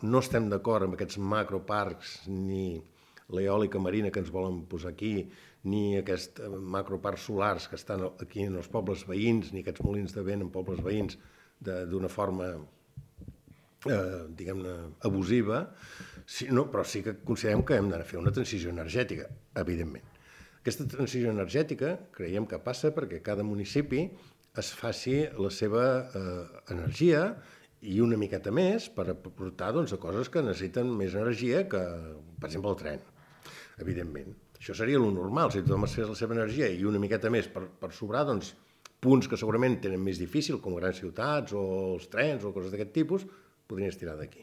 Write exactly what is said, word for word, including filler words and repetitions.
no estem d'acord amb aquests macroparcs ni l'eòlica marina que ens volen posar aquí, ni aquests macroparcs solars que estan aquí en els pobles veïns, ni aquests molins de vent en pobles veïns d'una forma, eh, diguem-ne, abusiva, sí, no, però sí que considerem que hem de fer una transició energètica, evidentment. Aquesta transició energètica creiem que passa perquè cada municipi es faci la seva eh, energia i una miqueta més per aportar doncs, a coses que necessiten més energia que, per exemple, el tren, evidentment. Això seria el normal, si tothom es fes la seva energia i una miqueta més per, per sobrar, doncs, punts que segurament tenen més difícil, com grans ciutats o els trens o coses d'aquest tipus, podrien estirar d'aquí.